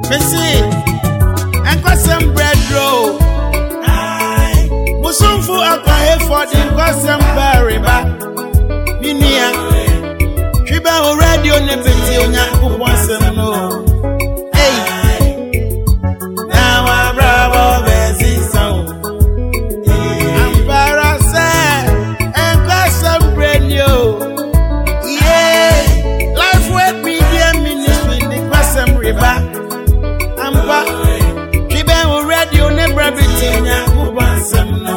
Mese, nkwasɛm brɛduro. Musumfo akwaefo de nkwasɛm bɛreba. Me nua, twi bɛ wo radio ne bɛti Onyankopɔn asɛm no. Ei, na wabrabɔ bɛsesa o. Ampara sɛ nkwasɛm brɛ ni o. Yeah, Life Word Media Ministry de nkwasɛm reba. Ampa, twi bɛ wo radio ne brɛ bɛti Onyankopɔn asɛm no.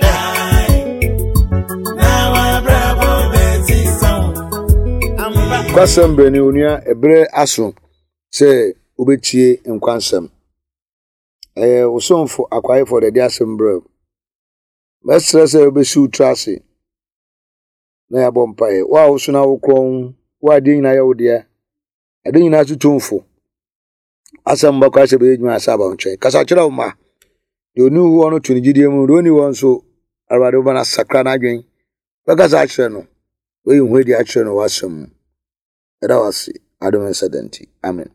Hwɛ, na wabrabɔ bɛsesa o. Ampa. Kwasɛm berɛ ne onua ɛberɛ aso sɛ wobɛtie nkwansɛm. Ɛyɛ wo somfo akwaefoɔ de ɛde asɛm brɛ wo. Mɛsrɛ sɛ wobɛsi wo tiri ase na yɛabɔ mpaeɛ. Wo a woso na wokorɔn, wo a adeɛ nyinaa yɛ wo dea, ade nyinaa so tumfo. Asɛm bɛkɔ asɛ bɛyɛ adwuma asɛ aba wo nkyɛn. Kasa kyerɛ wo mma. Deɛ ɔni hɔ no to ne gyidie mu, deɛ ɔnni hɔ nso, Awurade wobɛ no asakra n'adwen. Bɛkasa akyerɛ no, woyi ho adi akyerɛ no wɔ asɛm mu. Ɛda wo ase, adom nsa da nti. Amen.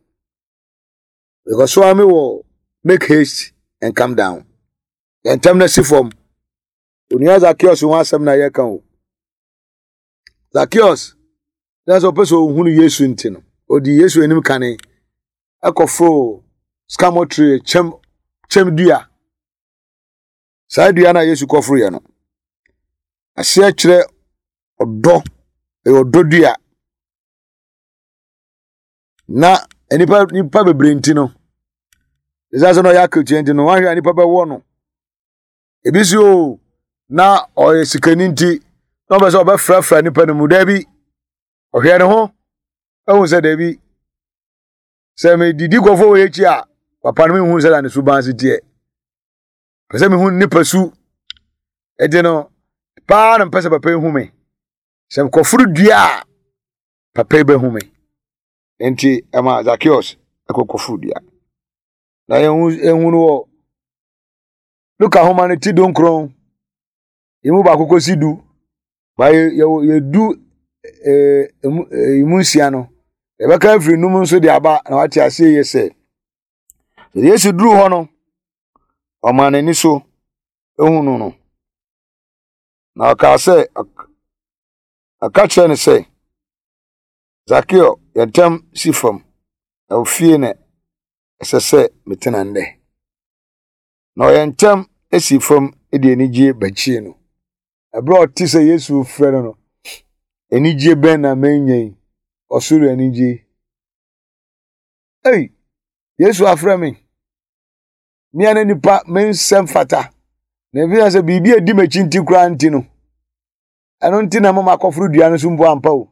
Because so ame wɔ make haste and come down. Yɛn ntam na si fam. Onua Zacchaeus ho asɛm na yɛka o. Zacchaeus na sɛ ɔpɛ sɛ ɔhunu Yesu nti no, ɔdi Yesu anim kane ɛkɔforo sycamore tree kyɛm kyɛm dua. Saa dua no a Yesu kɔforoeɛ no, aseɛ kyerɛ ɔdɔ, ɛyɛ ɔdɔ dua. Na nnipa nnipa bebree nti no, ɛsiane sɛ na ɔyɛ akatua nti no, wahwɛ a nnipa bɛwɔ no. Ebi si o, na ɔyɛ sikani nti, na ɔbɛ sɛ ɔbɛfrafra nnipa no mu. Daabi, ɔhwɛ ne ho, ɛhu sɛ daabi, sɛ medidi kɔfo wɔ akyi a, papa no mehu sɛ na ne suban si teɛ. Pɛ sɛ mehu ne nipa su. Ɛdi no, paa na mpɛ sɛ papa yi hu me. Sɛ mekɔforo dua a, papa yi bɛhu me. Nti ɛma Zacchaeus ɛkɔkɔforo dua. Na yɛhu no wɔ Luka nhoma no ti dunkron, emu baako kɔsi du. Ba yɛdu emu nsia no, yɛbɛka afiri num nso de aba na wate aseɛ yie sɛ, sɛ Yesu duru hɔ no, ɔmaa n'ani so ehunu no, na ɔkaa sɛ, ɔka kyerɛ no sɛ, Zakeo, yɛ ntɛm si fam, na wo fie na ɛsɛ sɛ metena nnɛ. Na ɔyɛ ntɛm si fam de anigye bɛkyee no. Ɛberɛ a ɔte sɛ Yesu refrɛ no no, anigye bɛn na manya yi? Ɔsoro anigye. Ei, Yesu afrɛ me. Mea ne nipa me nsɛm fata. Na ebi sɛ biribi a edi m'akyi nti koraa nti no, ɛno nti na mama akɔforo dua no so mpo ampa o.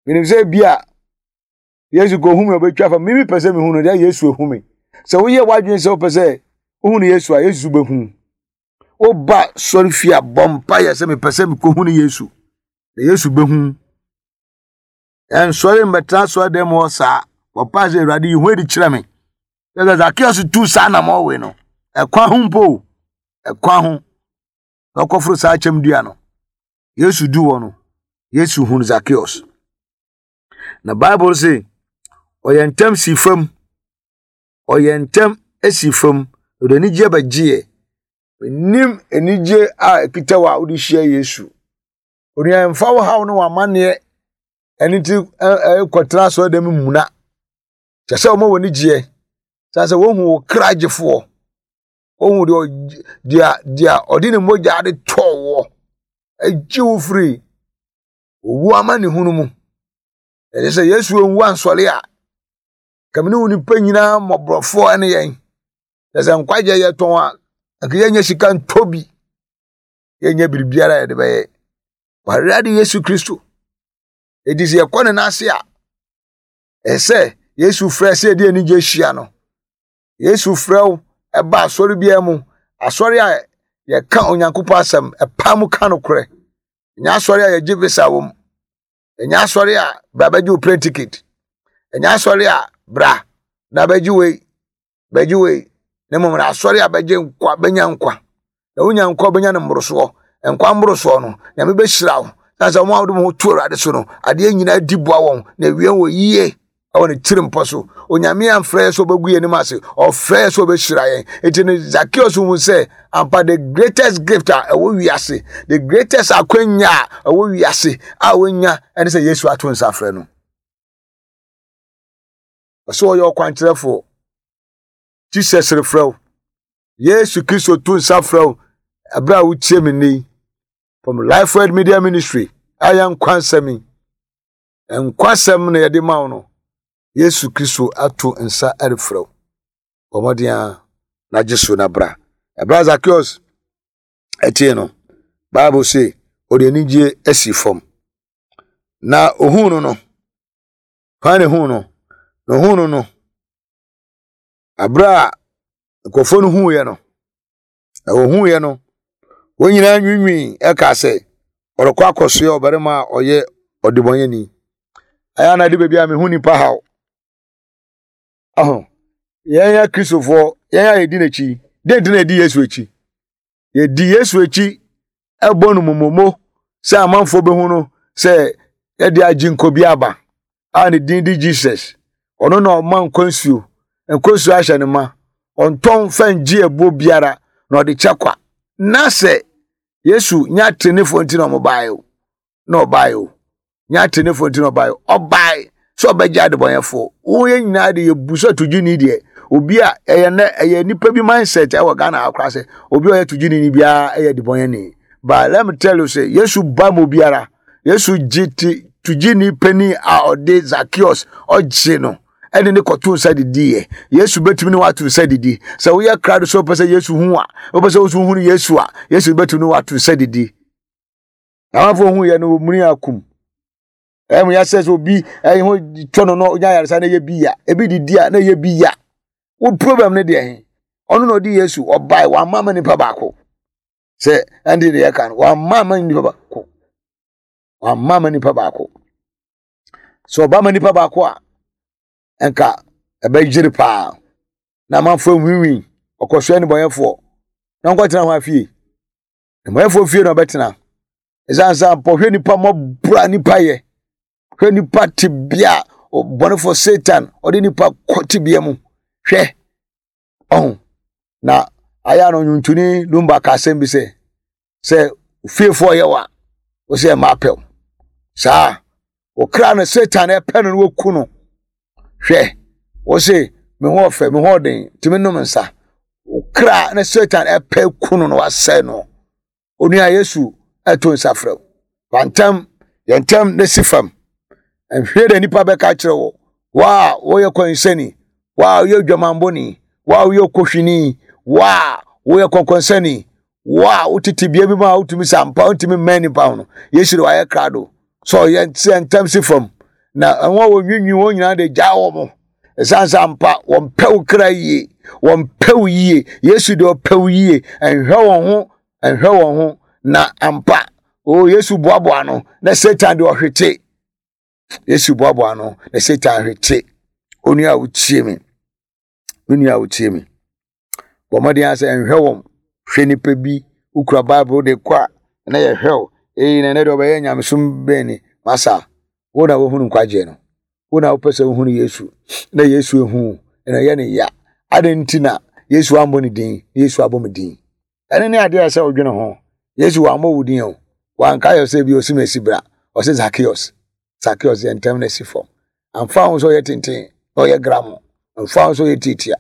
Menim sɛ ebi a Yesu kɔ hu me ɔbɛtwa fa mimi pɛ sɛ mehu no deɛ Yesu ehu me. Sɛ woyɛ w'adwene sɛ wopɛ sɛ wohu no Yesu a, Yesu bɛhu. Woba sɔre fie a bɔ mpaeɛ sɛ mepɛ sɛ mekɔhu no Yesu. Na Yesu bɛhu. Ɛnsɔre mmɛtena asɔre dɛm hɔ saa. Wɔpaa sɛ Awurade yi ho adi kyerɛ me. Sɛ Zakeus tu saa nam ɔwe no, ɛkwan ho mpo, ɛkwan ho. Na ɔkɔforo saa kyɛm dua no. Yesu du hɔ no, Yesu hunu Zakeus. Na Bible se, ɔyɛ ntɛm si fam, ɔyɛ ntɛm si fam, ɔde anigyeɛ bɛgyeɛ. Nim anigye a ɛkita wɔ a wode hyia Yesu. Onua mfa wo haw ne w'amanneɛ ɛno nti kɔtena asɔre dɛm mmuna. Kyɛ sɛ wɔma w'ani gyeɛ. Sɛ sɛ wohu wo kra gyefoɔ. Wohu deɛ deɛ deɛ ɔde ne mogya de tɔɔ woɔ. Agye wo firi owu amanehunu mu. Ɛsɛ sɛ Yesu anwu ansɔre a, kame ne wo nipa nyinaa mmɔborɔfoɔ ne yɛn. Kyɛ sɛ nkwagyeɛ yɛtɔn a, anka yɛnyɛ sika ntɔ bi. Yɛnyɛ biribiara a yɛde bɛyɛ. Awurade Yesu Kristo. Enti sɛ yɛkɔ ne n'ase a, ɛsɛ sɛ Yesu frɛ sɛ yɛde anigye hyia no. Yesu frɛ wo ɛba asɔre biara mu, asɔre a yɛka Onyankopɔn asɛm, ɛpa mu ka nokorɛ. Ɛnyɛ asɔre a yɛgye visa wɔ mu. Ɛnyɛ asɔre a bra bɛgye wo plane ticket. Ɛnyɛ asɔre a bra na bɛgye wei. Bɛgye wei na mmom na asɔre a bɛgye nkwa bɛnya nkwa na wonya nkwa bɛnya no mmorosoɔ nkwa mmorosoɔ no nyame bɛhyira wo na sɛ wɔn a wɔde wɔn ho to awurade so no adeɛ nyinaa di boa wɔn na awie wɔ yie. Ɛwɔ ne tiri mpɔ so. Onyame amfrɛ yɛ sɛ ɔbɛgu yɛn anim ase, ɔfrɛ yɛ sɛ ɔbɛhyira yɛn. Enti no Zacchaeus hu sɛ ampa the greatest gift a ɛwɔ wiase, the greatest akwanya a ɛwɔ wiase a wɔnya ɛne sɛ Yesu ato nsa frɛ no. Ɔsɛ ɔyɛ ɔkwankyerɛfoɔ. Jesus refrɛ wo. Yesu Kristo to nsa frɛ wo ɛberɛ a wotie me nnɛ yi. From Life Word Media Ministry, ayɛ nkwa nsɛm yi. Nkwasɛm na yɛde ma wo no, Yesu Kristo ato nsa refrɛ wo. Bɔ mmɔden ara na gye so na bra. Ɛberɛ a Zacchaeus ɛtee no, Bible se ɔde anigyeɛ asi fam. Na ohuu no no, hwan na ehuu no? Na ohuu no no, ɛberɛ a nkurɔfoɔ no huuiɛ no, Na wɔhuiɛ no, wɔn nyinaa nwiinwii kaa sɛ, ɔrekɔ akɔsoɛ ɔbarima a ɔyɛ ɔdebɔnyɛni. Ɛyɛ na de baabi a mehu nipa haw. Aho, yɛn yɛ Kristofoɔ, yɛn a yɛdi n'akyi, dɛn nti na yɛdi Yesu akyi? Yɛdi Yesu akyi ɛbɔ no momomo sɛ amanfoɔ bɛhu no sɛ yɛde agye nkɔ bi aba a ne din de Jesus. Ɔno na ɔma nkwa nsuo. Nkwa nsuo ahyɛ ne ma. Ɔntɔn fɛ ngye ɛboɔ biara na ɔde kyɛ kwa. Na sɛ Yesu nyɛ atenefoɔ nti na ɔmo baeɛ o, na ɔbaeɛ o. Nyɛ atenefoɔ nti na ɔbaeɛ o. Ɔbaeɛ sɛ ɔbɛgye adebɔnyɛfoɔ. Wo yɛn nyinaa de yɛbu sɛ togyeni deɛ obi a ɛyɛ nɛ ɛyɛ nipa bi mindset ɛwɔ Ghana ha koraa sɛ obi a ɔyɛ togyeni ni biara ɛyɛ adebɔnyɛni. But let me tell you sɛ Yesu ba ma obiara. Yesu gye ti togyeni panin a ɔde Zacchaeus ɔgye no ɛne ne kɔto nsa didiiɛ. Yesu bɛtumi ne wato nsa didi. Sɛ woyɛ krado sɛ wopɛ sɛ Yesu hu a, wopɛ sɛ wosu hunu Yesu a, Yesu bɛtumi ne wato nsa didi. Amanfoɔ hu yɛ no wɔmuni akum. Ɛmu yɛ sɛ sɛ obi ɛyi ho twɛ no no onya ayaresa na ɛyɛ bi ya. Ebi didi a na ɛyɛ bi ya. Wo problem ne deɛ he? Ɔno na ɔde Yesu ɔbae wamma ma nipa baako. Sɛ ɛnde deɛ yɛka no wamma ma nipa baako. Wamma ma nipa baako. Sɛ ɔba ma nipa baako a nka ɛbɛgyere paa. Na amanfoɔ nwinwin ɔkɔsoɛ nnebɔnyɛfoɔ na ɔnkɔtena ho afie. Nnebɔnyɛfoɔ fie na ɔbɛtena. Ɛsiane sɛ ampɔ hwɛ nipa mmɔborɔ a nipa yɛ. Hwɛ nipa tebea ɔbɔnefoɔ Satan ɔde nipa kɔ tebea mu. Hwɛ ɔho na ayɛ a no nnwontoni Lumba ka asɛm bi sɛ sɛ fiefoɔ yɛ wa wo sɛ ɛma apɛw saa okra no Satan ɛpɛ no no wɔku no hwɛ wo se me ho ɔfɛ me ho ɔden tumi nom nsa okra no Satan ɛpɛ ku no na wasɛe no Onua Yesu ɛto nsa frɛ wo. Fa ntɛm, yɛ ntɛm na si fam. Nhwɛ dɛ nipa bɛka akyerɛ wo. Wo a woyɛ kɔnsani, wo a woyɛ odwamanbɔni, wo a woyɛ okohwini, wo a woyɛ kɔnkɔnsani, wo a wotete bea bi mu a wotumi sɛ ampa wontumi mmɛn nipa ho no, Yesu de wayɛ krado sɛ ɔyɛ sɛ ntɛm si fam. Na wɔn a wɔnwiinwii wɔn nyinaa de gyaa wɔn. Ɛsiane sɛ ampa wɔmpɛ wo kra yie, wɔmpɛ wo yie. Yesu deɛ ɔpɛ wo yie. Nhwɛ wɔn ho, nhwɛ wɔn ho. Na ampa, o Yesu boaboa no, na Satan deɛ ɔhwete. Yesu boaboa no, na Satan hwete. Onua a wotie me, me nua a wotie me. Bɔ mmɔden ara sɛ nhwɛ wɔn. Hwɛ nipa bi, wokura Bible de kɔ a, na yɛhwɛ wo. Ee, na ɛnɛ deɛ ɔbɛyɛ nyamesom bɛn ni? Masa, wo na wohunu nkwagyeɛ no. Wo na wopɛ sɛ wohunu Yesu, na Yesu ehu wo, na ɛyɛ ne ya. Adɛn nti na Yesu ammɔ ne din, na Yesu abɔ me din? Ɛno ne adeɛ a ɛsɛ wodwene ho. Yesu wammɔ wo din o. Wanka yɛ sɛ bi ɔsi mesi bra. Ɔsɛ Zacchaeus. Zacchaeus yɛ ntɛm na si fam. Amfa ho sɛ ɔyɛ tenten na ɔyɛ gramo. Amfa ho sɛ ɔyɛ tiatia.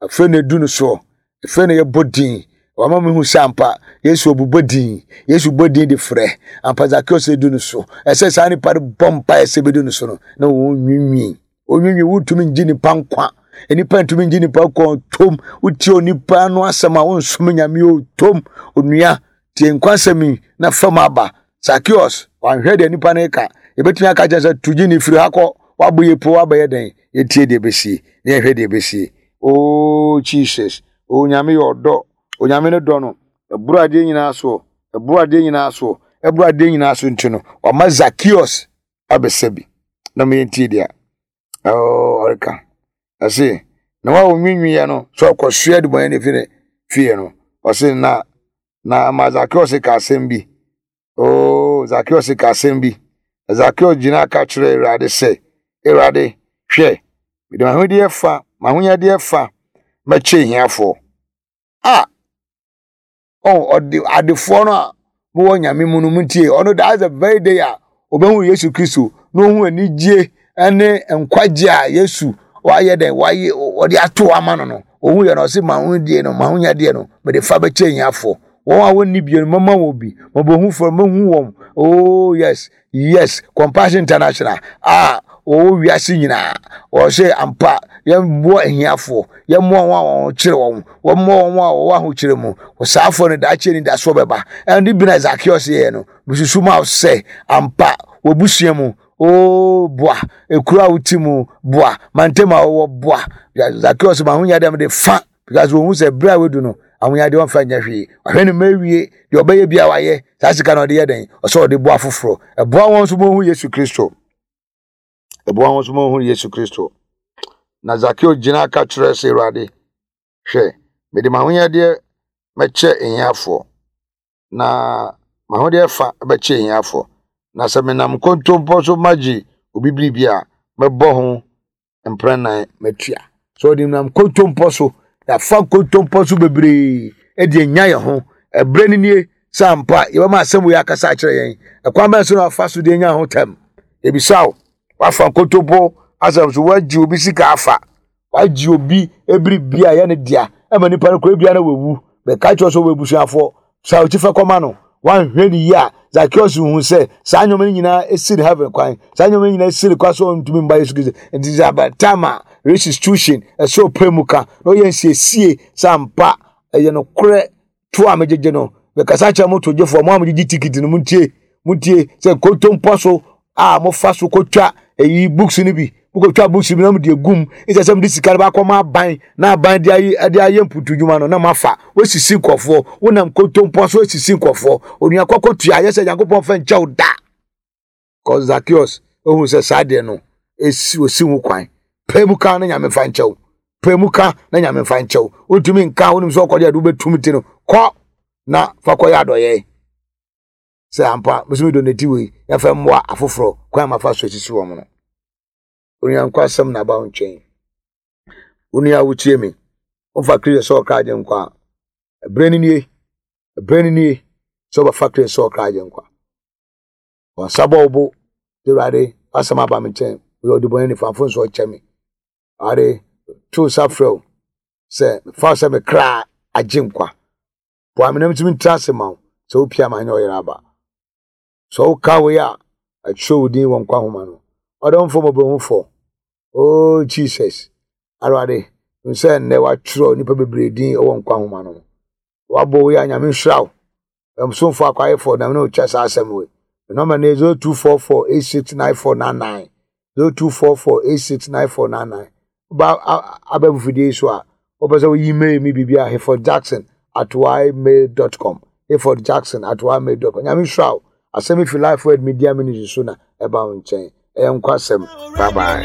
Afei na edu no soɔ. Afei na yɛbɔ din. Wama mehu sɛ ampa Yesu ɔbobɔ din. Yesu bɔ din de frɛ. Ampa Zacchaeus edu no so. Ɛsɛ saa nipa no bɔ mpaeɛ sɛ ebedu no so no na wɔn nwinwin. Onwinwi wontumi ngye nipa nkwa. Nipa ntumi ngye nipa nkwa tom. Wotie onipa no asɛm a wonsom nyame o tom. Onua tie nkwa asɛm yi na fam aba. Zacchaeus wanhwɛ deɛ nipa no reka. Yɛbɛtumi aka kyerɛ sɛ to gye ne firi ha kɔ. Wabɔ yɛ po wabɛyɛ dɛn? Yɛtie deɛ ɛbɛsie na yɛhwɛ deɛ ɛbɛsie. Oh Jesus, oh Nyame yɛ ɔdɔ. Onyame no dɔ no ɛboro adeɛ nyinaa soɔ, ɛboro adeɛ nyinaa soɔ, ɛboro adeɛ nyinaa so nti no, wama Zacchaeus abɛsɛ bi. Na mo yɛntie deɛ ɔreka. Ɔse, na wa onwinwiiɛ no sɛ ɔkɔsoɛ adubɔne ne fi ne fie no. Ɔse na na ama Zacchaeus ka asɛm bi. Oh, Zacchaeus ka asɛm bi. Zacchaeus gyina ka kyerɛ Awurade sɛ, Awurade, Hwɛ, mede m'ahodeɛ fa, m'ahonyadeɛ fa mɛkyɛ ahiafoɔ. A ɔn ɔde adefoɔ no a mowɔ nyame mu no montie ɔno that's the very day a ɔbɛhu Yesu Kristo na ɔhu anigye ne nkwagye a Yesu wayɛ dɛn wayɛ ɔde ato ama no no ɔhu yɛ no ɔse m'ahodie no m'ahonyadeɛ no mede fa bɛkyɛ ahiafoɔ wɔn a wɔnni bie no mɛma wɔn bi mɔbɔhufoɔ no mɛhu wɔn oh yes Yes, Compassion International a wɔwɔ wiase nyinaa wɔhyɛ ampa yɛmmoa ahiafoɔ yɛmmoa wɔn a wɔn kyerɛ wɔn wɔmmoa wɔn a wɔwɔ ahokyerɛ mu saafoɔ no daakye anidasoɔ bɛba ɛnde bi na Zacchaeus yɛɛ no mesusu ma sɛ ampa wɔbusua mu oo boa ekuro a wote mu boa mantam a wɔwɔ boa Zacchaeus ma ho nya dɛm de fa because wɔn sɛ bere a wadu no ahonyadeɛ ɔmfa nyɛ hwee ɔhwɛ ne mma awie deɛ ɔbɛyɛ bia wayɛ saa sika na ɔde yɛ dɛn ɔsɛ ɔde boa foforɔ ɛboa wɔn nso ma wɔhu Yesu Kristo ɛboa wɔn nso ma wɔhu Yesu Kristo na Zakeo gyina ka kyerɛ sɛ Awurade hwɛ mede m'ahonyadeɛ mɛkyɛ ahiafoɔ na m'ahodeɛ fa bɛkyɛ ahiafoɔ na sɛ menam nkontompɔ so magye obi biribi a mɛbɔ ho mprɛnnan matua. So ɔde nam nkontompɔ so, yɛafa nkontompɔ so bebree de anya yɛn ho. Ɛberɛ no nie sɛ ampa yɛbɛma asɛm wei akasa akyerɛ yɛn. Ɛkwan bɛn so na wafa so de anya ho tɛm? Yɛbisa wo, wafa nkontompo asɛm so, wagye obi sika afa, wagye obi biribi a ɛyɛ ne dea, ɛma nipa no kora bia na wawu. Bɛka kyerɛ sɛ ɔwɔ abusuafoɔ, sa ɔkyi fɛ kɔma no. Wanhwɛ ne yie a, Zacchaeus hu sɛ saa nneɛma no nyinaa si ne heaven kwan. Saa nneɛma no nyinaa si ne kwan sɛ ɔntumi mba Yesu Kristo. Nti sɛ aba time a restitution ɛsɛ ɔpɛ mu ka na ɔyɛ nsiesie sɛ ampa ɛyɛ nokorɛ to a megyegye no. Mekasa kyerɛ mo togyefoɔ, mo a mogyegye tikiti no, montie. Montie sɛ nkontompɔ so a mofa so kɔtwa eyi books no bi mokɔtwa books bi na mode egum ɛsɛ sɛ mode sika no baakɔ ma aban na aban de ayɛ de ayɛ mputu dwuma no na moafa wɔasisi nkɔfoɔ wonam nkontompɔ so asisi nkɔfoɔ onua kɔkɔtua ayɛ sɛ nyankopɔn fɛ nkyɛw da kɔ Zacchaeus ohun sɛ saa deɛ no esi osi ho kwan pɛ mu ka na nyame fa nkyɛw pɛ mu ka na nyame fa nkyɛw wontumi nka wonim sɛ ɔkɔde ade wobɛtum ti no kɔ na fa kɔyɛ adɔyɛ sɛ ampa me nso me donate wei yɛfɛ mmoa afoforɔ kwan a mafa so asisi wɔn no onua nkɔ asɛm na aba wo nkyɛn onua a wotie me wofa kristo sɛ ɔkra agye nkwa a ɛberɛ no nie ɛberɛ no nie sɛ wobɛfa kristo sɛ ɔkra agye nkwa wɔn nsa bɔ wo bo awurade asɛm aba me nkyɛn woyɛ ɔdebɔne nifa mfo nso ɔkyɛ me awurade to nsa frɛ wo sɛ fa sɛ me kra agye nkwa Boa me na metumi ntra ase ma wo sɛ wopia ma anyɛ ɔyere aba. Sɛ woka wei a, ɛtwerɛ wo din wɔ nkwa nhoma no. Ɔdɔmfo mmɔborɔhufo, oh Jesus, Awurade, hu sɛ nnɛ watwerɛ nnipa bebree din wɔ nkwa nhoma no mu. Wabɔ wei a Nyame nhyira wo. Ɛmsomfo akwayefo na mene wo kyɛ saa asɛm wei. Me nɔma ne 0244 869499. 0244 869499. Ba abɛɛfo fidie yi so a, wopɛ sɛ woyi mail mi biribi a hayfordjackson at ymail dot com hayfordjackson at ymail dot com nyame nhyira wo asɛm yi fi life word media ministry so na ɛba wo nkyɛn ɛyɛ nkwasɛm bye bye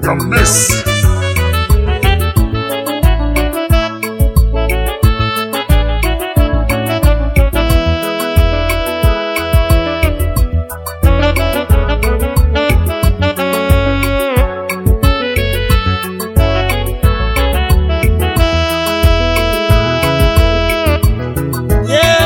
Miss. Yeah,